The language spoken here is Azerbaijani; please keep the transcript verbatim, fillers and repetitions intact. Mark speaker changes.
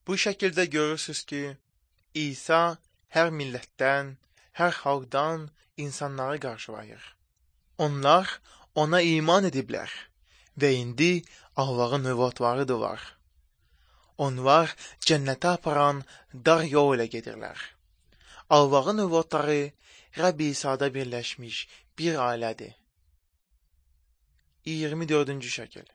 Speaker 1: Bu şəkildə görürsünüz ki, İsa hər millətdən, hər xalqdan insanları qarşılayır. Onlar ona iman ediblər və indi Allahın övladlarıdırlar. Onlar cənnətə aparan dar yol ilə gedirlər. Allahın övladları Rəbb İsa'da birləşmiş bir ailədir. iyirmi dördüncü şəkil.